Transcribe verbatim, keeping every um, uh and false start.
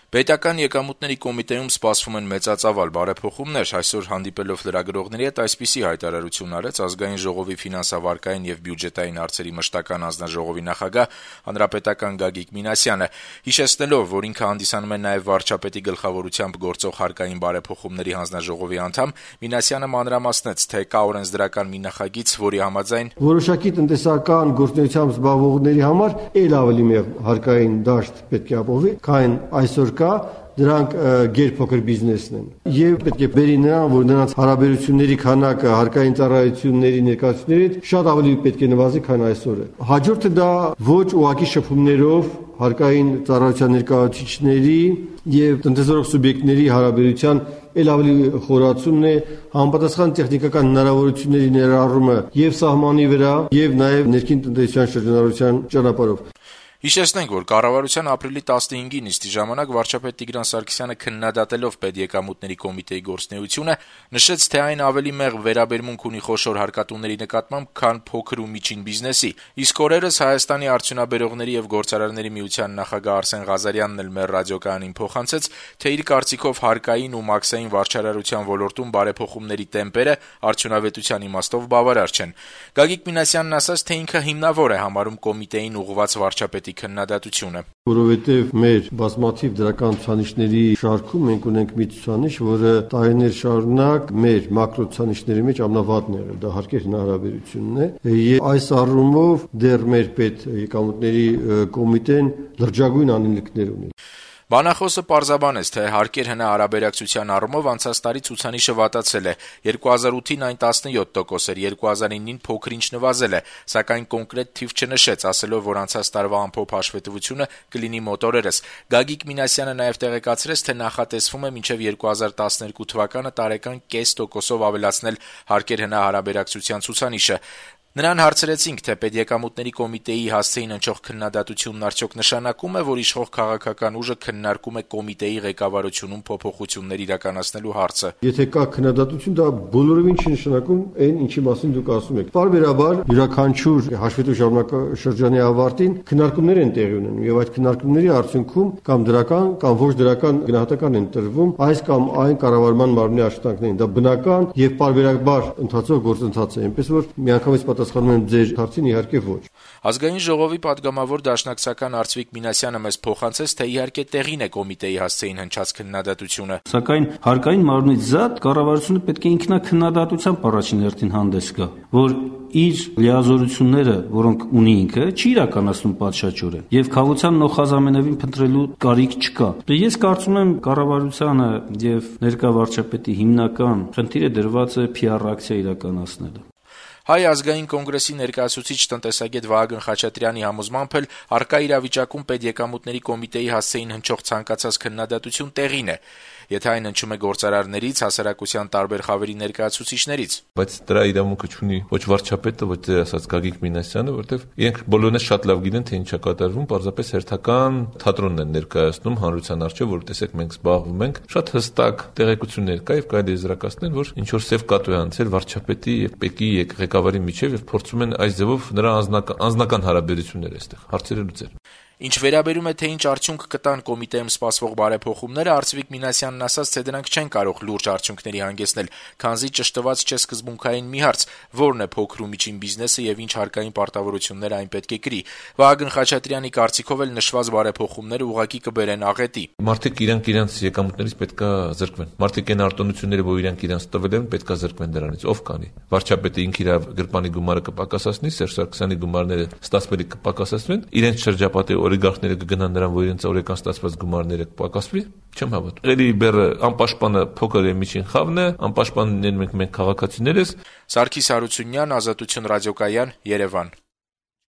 Պետական եկամուտների կոմիտեում սպասվում են մեծածավալ բարեփոխումներ։ Այսօր հանդիպելով լրագրողների հետ այսպիսի հայտարարություն արեց Ազգային ժողովի ֆինանսավարկային եւ բյուջետային հարցերի մշտական հանձնաժողովի նախագահ հանրապետական Գագիկ Մինասյանը, հիշեցնելով, որ ինքը հանդիսանում է նաեւ վարչապետի գլխավորությամբ գործող հարկային բարեփոխումների հանձնաժողովի անդամ, Մինասյանը մանրամասնեց, թե կա օրենսդրական մի նախագիծ, որի համաձայն որոշակի տնտեսական գործունեությամբ զբաղվողների համար ել ավելի մեծ հարկային դաշտ պետք է ապահովի, քան այսօր կա, դրանք գերփոքր բիզնեսն են։ Եվ պետք է բերի նրան, որ նրանց հարաբերությունների քանակը հարկային ծառայությունների ներկայացուցիչների շատ ավելի պետք է նվազի, քան այսօր է։ Հաջորդը դա ոչ ուղղակի շփումներով հարկային ծառայության ներկայացուցիչների եւ տնտեսորոշ սուբյեկտների հարաբերության ել ավելի խորացումն է, համապատասխան տեխնիկական հնարավորությունների ներառումը եւ սահմանի վրա եւ նաեւ ներքին տնտեսության շրջանառության ճանապարհով։ Հիշեցնենք, որ կառավարության ապրիլի տասնհինգի նիստի ժամանակ վարչապետ Տիգրան Սարգսյանը քննադատելով Պետեկամուտների կոմիտեի գործունեությունը նշեց, թե այն ավելի մեղմ վերաբերմունք ունի խոշոր հարկատուների նկատմամբ, քան փոքր ու միջին բիզնեսի։ Իսկ օրերս Հայաստանի արդյունաբերողների եւ գործարարների միության նախագահ Արսեն Ղազարյանն էլ մեր ռադիոկայանին փոխանցեց, թե իր կարծիքով հարկային ու մաքսային վարչարարության ոլորտում բարեփոխումների տեմպերը արդյունավետության իմաստով բավարար չեն։ Գագիկ Մինասյանն ասաց, թե ինքը հիմնավոր է համարում կոմիտեին ուղղված վարչապետի քննադատությունը, որովհետև մեր բազմաթիվ դրական ցուցանիշների շարքում մենք ունենք մի ցուցանիշ, որը տարիներ շարունակ մեր մակրո ցուցանիշների մեջ ամենավատն է եղել, դա հարկերի հնարավորությունն է, եւ այս առումով դեռ մեր պետ եկամուտների կոմիտեն լրջագույն անելիքներ ունի։ Բանախոսը պարզաբանեց, թե հարկեր հնարաբերակցության առումով անցած տարի ցուցանիշը վատացել է, երկու հազար ութին այն տասնյոթ տոկոս էր, երկու հազար իննին փոքր-ինչ նվազել է, սակայն կոնկրետ թիվ չնշեց, ասելով, որ անցած տարվա ամփոփ հաշվետվությունը կլինի մոտ օրերս։ Գագիկ Մինասյանը նաև տեղեկացրեց, թե նախատեսվում է մինչև երկու հազար տասներկու թվականը տարեկան կես տոկոսով ավելացնել հարկեր հնարաբերակցության ցուցանիշը։ Նրան հարցրեցինք, թե Պետեկամուտների կոմիտեի հասցեին հնչող քննադատությունն արդյոք նշանակում է, որ իշխող քաղաքական ուժը քննարկում է կոմիտեի ղեկավարությունում փոփոխություններ իրականացնելու հարցը։ Եթե կա քննադատություն, դա բոլորովին չի նշանակում այն, ինչի մասին դուք ասում եք։ Պարբերաբար յուրաքանչյուր հաշվետու ժամանակաշրջանի ավարտին քննարկումներ են տեղի ունենում եւ այդ քննարկումների արդյունքում կամ դրական կամ ոչ դրական գնահատական են տրվում այս կամ այն կառավարման մարմնի աշխատանքներին։ Դա բնական եւ պարբերաբար ընթացող գործընթաց է, այնպես որ միանգամից պատասխանում եմ ձեր հարցին, իհարկե ոչ։ Ազգային ժողովի падգամավոր դաշնակցական Արծվիկ Մինասյանը մեզ փոխանցեց, թե իհարկե տեղին է կոմիտեի հասցեին հնչած քննադատությունը։ Սակայն հարկային մարմնից զատ կառավարությունը պետք է ինքնակննադատությամբ առաջին հերթին հանդես գա, որ իր լիազորությունները, որոնք ունի ինքը, չի իրականացնում պատշաճորեն եւ քաղաքության նոխազամենևին փնտրելու կարիք չկա։ Ես կարծում եմ կառավարությանը եւ ներկա վարչապետի հիմնական խնդիրը դրված է փի ար ակցիա իրականացնելը։ Հայ ազգային կոնգրեսի ներկայացուցիչ տնտեսագետ Վահագն Խաչատրյանի համոզմամբ էլ առկա իրավիճակում Պետեկամուտների կոմիտեի հասցեին հնչող ցանկացած քննադատություն տեղին է, եթե այն հնչում է գործարարներից, հասարակության տարբեր խավերի ներկայացուցիչներից։ Բայց դրա իրավունքը չունի ոչ վարչապետը, ոչ դեր ասած Գագիկ Մինասյանը, որտեվ իրենք բոլորն շատ լավ գիտեն, թե ինչ է կատարվում, պարզապես հերթական թատրոնն են ներկայացնում հանրության առջև, որ տեսեք մենք զբաղվում ենք, շատ հստակ տեղեկություններ կա եւ կարելի է զրակացնել, որ ինչ որ սև կատու է անցել վարչապետի եւ ՊԵԿ-ի ղեկավարի միջև եւ փորձում են այս ձևով նրա անձնական անձնական հարաբերությունները այստեղ հարցերը լուծել։ Ինչ վերաբերում է, թե ինչ արդյունք կտան կոմիտեում սպասվող բարեփոխումները, Արծվիկ Մինասյանն ասաց, թե դրանք չեն կարող լուրջ արդյունքների հանգեցնել, քանզի ճշտված չէ սկզբունքային մի հարց, որն է փոքր ու միջին բիզնեսը եւ ինչ հարկային պարտավորություններ այն պետք է կրի։ Վահագն Խաչատրյանի կարծիքով էլ նշված բարեփոխումները ուղղակի կբերեն աղետի։ Մարդիկ իրանք իրանք եկամուտներից պետքա զրկվեն։ Մարդիկ այն արտոնությունները, որ իրանք իրանք տվել են, պետքա զրկվեն դրանից։ Ով կանի։ Վարչապետը ինքը իր գրպանի գումարը կպակասացնի, Սերժ Սարգսյանի գումարները ստացվելի կպակասացվեն, իրենց շրջապատի օլիգարխները կգնան նրան, որ իրենց օրական ստացված գումարները կպակասվի, չեմ հավատում։ Էլի բերը անպաշտպանը փոքր եւ միջին խավն է, անպաշտպանն ենք մենք քաղաքացիներս։ Սարգիս Հարությունյան, Ազատություն ռադիոկայան, Երևան։